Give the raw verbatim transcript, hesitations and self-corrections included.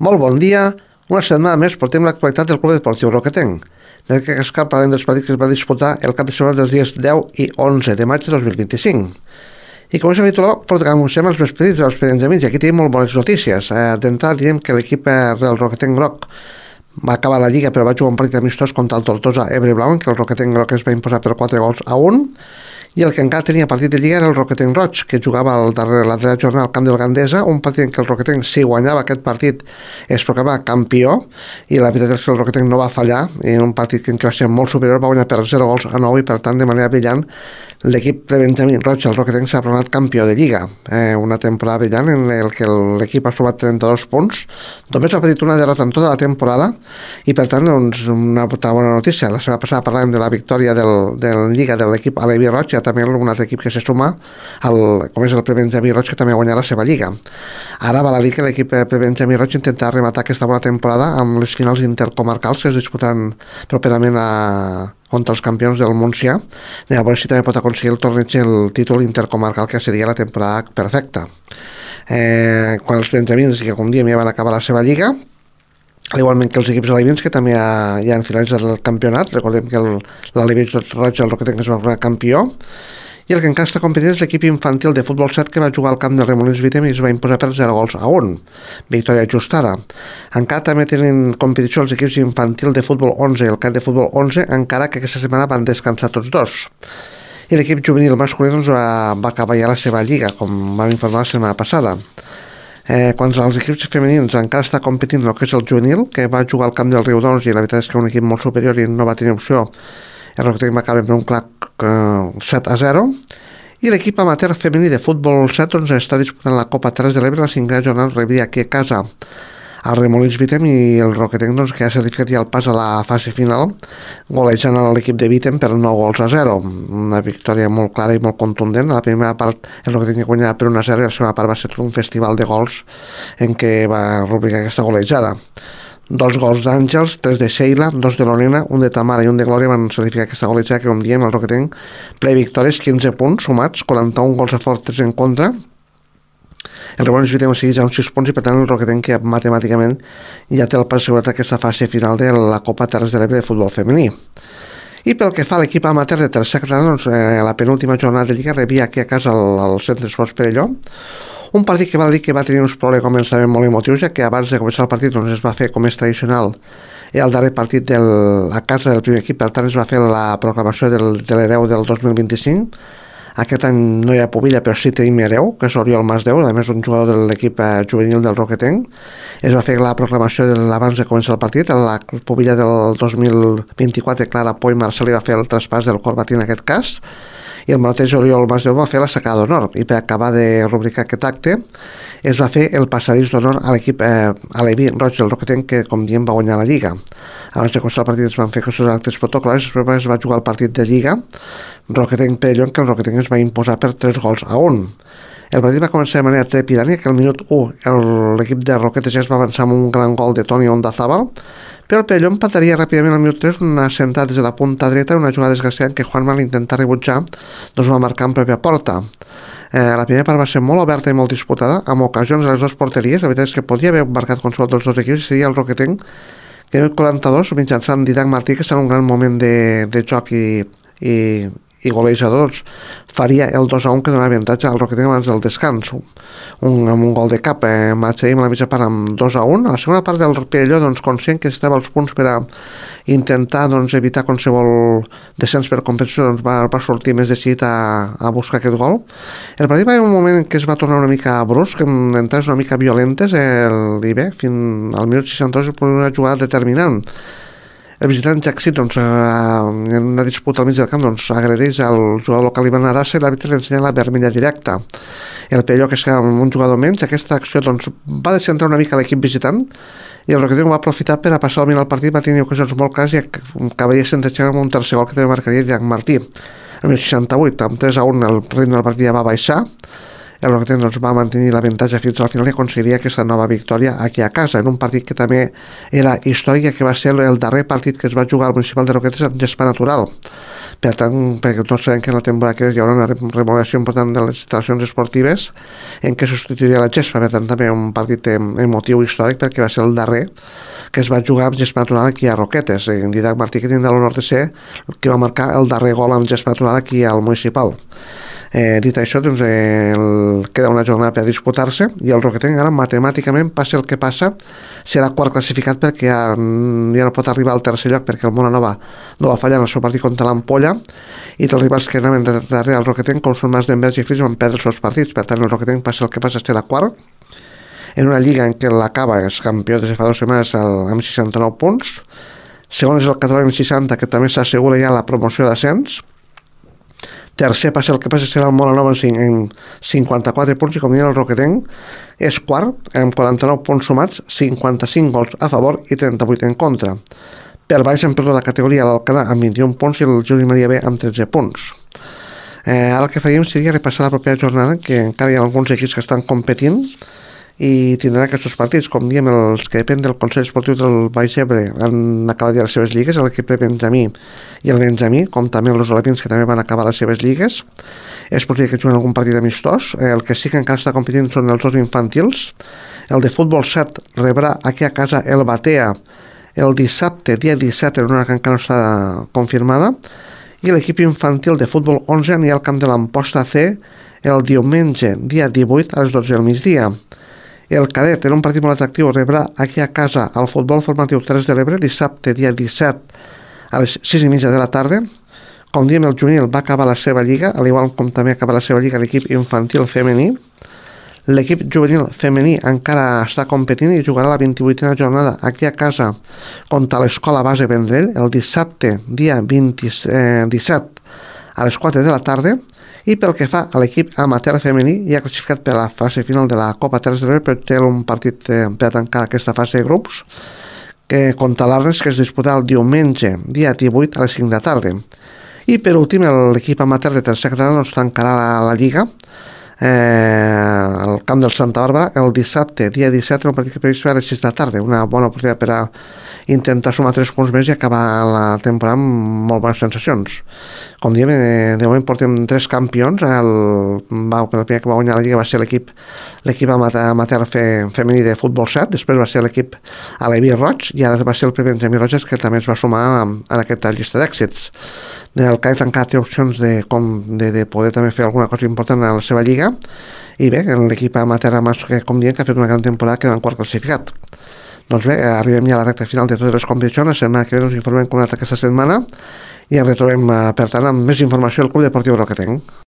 Molt bon dia. Una setmana més portem l'actualitat del Club Esportiu Roquetenc. En aquest cas parlem dels partits que es va disputar el cap de setmana dels dies deu i onze de maig de dos mil vint-i-cinc. I com és habitual, comencem els despedits dels Benjamins i aquí tenim molt bones notícies. Eh, D'entrada direm que l'equip del Roquetenc Groc va acabar la Lliga però va jugar un partit amistós contra el Tortosa Ebre Blau, en què el Roquetenc Groc es va imposar per quatre gols a un. I el que encara tenia partit de Lliga era el Roquetenc Roig, que jugava al darrer, la darrera jornada al camp del Gandesa, un partit en què el Roquetenc, si guanyava aquest partit, es proclamava campió, i la veritat és que el Roquetenc no va fallar, i un partit en què va ser molt superior, va guanyar per zero gols a nou, i per tant, de manera brillant, l'equip de Benjamí Roig, el Roquetenc, s'ha proclamat campió de Lliga. Eh, una temporada brillant en el que l'equip ha sumat trenta-dos punts, només ha patit una derrota en tota la temporada, i per tant, doncs, una bona notícia. La setmana passada parlàvem de la victòria del, del Lliga de l'equip Alevi Roig, també un altre equip que se suma al, com és el Prebenjamí Roig, que també ha guanyat la seva lliga. Ara val a dir que l'equip Prebenjamí Roig intentarà rematar aquesta bona temporada amb les finals intercomarcals que es disputaran properament a, contra els campions del Montsià. A veure si també pot aconseguir el torneig el títol intercomarcal, que seria la temporada perfecta. Eh, quan els Benjamins, que com diem ja van acabar la seva lliga, igualment que els equips alevins, que també ja, ja han finalitzat el campionat. Recordem que l'Alevi Roig, el Roquetenc, es va fer campió, i el que encara està competint és l'equip infantil de futbol set, que va jugar al camp del Remolins Vitem i es va imposar per zero gols a un, victòria ajustada. Encara també tenen competició els equips infantil de futbol onze i el camp de futbol onze, encara que aquesta setmana van descansar tots dos. I l'equip juvenil masculí doncs, va, va acabar ja la seva lliga, com vam informar la setmana passada. Eh, quan els equips femenins encara està competint el que és el juvenil, que va jugar al camp del Riudoms, i la veritat és que un equip molt superior i no va tenir opció. El Roquetenc va acabar per un clar eh, set a zero, i l'equip amateur femení de futbol set doncs, està disputant la Copa Terres de l'Ebre. La cinquena jornada rebia aquí a casa al Remolins Vitem, i el Roquetenc doncs, que ha certificat ja el pas a la fase final, golejant a l'equip de Vitem per nou gols a zero. Una victòria molt clara i molt contundent. A la primera part el Roquetenc guanyava per un a zero, i la segona part va ser un festival de gols en què va rubricar aquesta golejada. Dos gols d'Àngels, tres de Sheila, dos de Lorena, un de Tamara i un de Glòria van certificar aquesta golejada, que com diem el Roquetenc ple victòries, quinze punts sumats, quaranta-un gols a favor, tres en contra. El Remolins Vitem segueix amb sis punts, i per tant el Roquetenc, que matemàticament ja té el pas assegurat aquesta fase final de la Copa Terres de l'Ebre de futbol femení. I pel que fa a l'equip amateur de tercera catalana, doncs, eh, la penúltima jornada de Lliga rebia aquí a casa al, al Centre d'Esports Perelló un partit que val dir que va tenir uns problemes, començament molt emotius, ja que abans de començar el partit doncs, es va fer, com és tradicional, el darrer partit del, a casa del primer equip. Per tant es va fer la proclamació del, de l'hereu del dos mil vint-i-cinc. Aquest any no hi ha pubilla, però sí tenim hereu, que és Oriol Masdeu, a més un jugador de l'equip eh, juvenil del Roquetenc. Es va fer la proclamació de, abans de començar el partit. La pubilla del dos mil vint-i-quatre, Clara Poi Marcel, va fer el traspàs del Corbatí en aquest cas, i el mateix Oriol Masdeu va fer la sacada d'honor, i per acabar de rubricar aquest acte es va fer el passadís d'honor a l'equip eh, Alevi Roig del Roquetenc, que com diem va guanyar la Lliga. Abans de començar el partit es van fer aquests actes protocolars, després es va jugar el partit de Lliga Roquetenc Perelló, en què el Roquetenc es va imposar per tres gols a un. El partit va començar de manera trepidània, que al minut u l'equip de Roquetes ja es va avançar amb un gran gol de Toni Ondazábal, però el Perelló empataria ràpidament al minut tres, una sentada des de la punta dreta, una jugada desgraciada en què Juanma, l'intentar rebutjar, doncs va marcar en pròpia porta. Eh, la primera part va ser molt oberta i molt disputada, amb ocasions a les dues porteries. La veritat és que podia haver marcat qualsevol dels dos equips, i seria el Roquetenc, que en el quaranta-dos, mitjançant Didac Martí, que està en un gran moment de, de joc i, i, i golejadors, faria el dos a un, que donava avantatge al Roquetenc abans del descans, un, amb un gol de cap. eh, marxaríem a la mitja part amb dos a un. A la segona part del Perelló, doncs, conscient que estava als punts per a intentar doncs, evitar qualsevol descens per competició, doncs, va, va sortir més decidit a, a buscar aquest gol. El partit va haver un moment en què es va tornar una mica brusc, en entrades una mica violentes, el, i bé, fins al minut seixanta-dos una jugada determinant. El visitant Jackson, doncs, en una disputa al mig del camp, doncs, agredeix al jugador local Ivan Arasa, i l'àrbitre li ensenya la vermella directa. El Perelló, que es queda amb un jugador menys, aquesta acció doncs, va descentrar una mica l'equip visitant, i el Roquetenc va aprofitar per a passar el partit. Va tenir ocasions molt clares i acabaria sentenciant amb un tercer gol que també marcaria Didac Martí. Al minut seixanta-vuit, amb tres a un, el ritme del partit ja va baixar. El Roquetenc doncs, va mantenir l'avantatge fins al final i aconseguiria aquesta nova victòria aquí a casa, en un partit que també era històric, que va ser el darrer partit que es va jugar al municipal de Roquetes en gespa natural. Per tant, perquè tots sabem que en la temporada que ve hi haurà una remodelació important de les instal·lacions esportives en què substituiria la gespa, per tant també un partit emotiu històric perquè va ser el darrer que es va jugar amb gespa natural aquí a Roquetes. En Didac Martí, que tindrà l'honor de ser que va marcar el darrer gol amb gespa natural aquí al municipal. Eh, dit això, doncs, eh, el, queda una jornada per disputar-se i el Roquetenc ara matemàticament passa el que passa, serà quart classificat perquè ja, ja no pot arribar al tercer lloc perquè el Mona Nova no va fallar en el seu partit contra l'Ampolla i els rivals que anaven darrere el Roquetenc, com són Mas d'Envers i Fills, van perdre els seus partits. Per tant, el Roquetenc passa el que passa, serà quart en una lliga en què l'acaba és campió des de fa dues setmanes amb seixanta-nou punts. Segon és el Català amb seixanta, que també s'assegura ja la promoció d'ascens. Tercer passa el que passa serà el Mona Nova en cinquanta-quatre punts i com diuen el Roquetenc és quart amb quaranta-nou punts sumats, cinquanta-cinc gols a favor i trenta-vuit en contra. Per baix hem perdut la categoria l'Alcalà amb vint-i-un punts i el Juli Maria B amb tretze punts. Eh, ara el que faríem seria repassar la propera jornada, que encara hi ha alguns equips que estan competint i tindran aquests partits, com diem, els que depèn del Consell Esportiu del Baix Ebre han acabat ja les seves lligues, l'equip de Benjamí i el Benjamí, com també els Olapins, que també van acabar les seves lligues. És possible que juguen algun partit amistós. El que sí que encara està competint són els dos infantils. El de futbol set rebrà aquí a casa el Batea el dissabte, dia disset, en una que encara no està confirmada, i l'equip infantil de futbol onze anirà al camp de l'Amposta C el diumenge, dia divuit, a les dotze del migdia. El cadet, en un partit molt atractiu, rebrà aquí a casa el futbol formatiu Terres de l'Ebre, dissabte, dia disset, a les sis i mitja de la tarda. Com diem, el juvenil va acabar la seva lliga, al igual com també acaba la seva lliga l'equip infantil femení. L'equip juvenil femení encara està competint i jugarà la vint-i-vuitena jornada aquí a casa contra l'Escola Base Vendrell el dissabte, dia disset, a les quatre de la tarda. I pel que fa a l'equip amateur femení, ja ha classificat per a la fase final de la Copa Terres de l'Ebre, però té un partit eh, per a tancar aquesta fase de grups, que contra l'Arnes, que es disputarà el diumenge, dia divuit, a les cinc de la tarda. I per últim, l'equip amateur de tercera catalana doncs tancarà la, la Lliga eh, al camp del Santa Bàrbara el dissabte, dia disset, en un partit que previst a les sis de la tarda. Una bona oportunitat per a intentar sumar tres punts més i acabar la temporada amb molt bones sensacions. Com diem, de moment portem tres campions. El, va, el primer que va guanyar la Lliga va ser l'equip l'equip amateur fe, femení de futbol set, després va ser l'equip Aleví Roig i ara va ser el primer Benjamí Roges, que també es va sumar en, en aquesta llista d'èxits. El cadet encara té opcions de, com, de, de poder també fer alguna cosa important a la seva lliga i bé, l'equip amateur, com diem, que ha fet una gran temporada, queda en quart classificat. Doncs bé, arribem ja a la recta final de totes les competicions. La setmana que ve us informem com ha anat aquesta setmana i ens retrobem, per tant, amb més informació del Club Deportiu Roquetenc.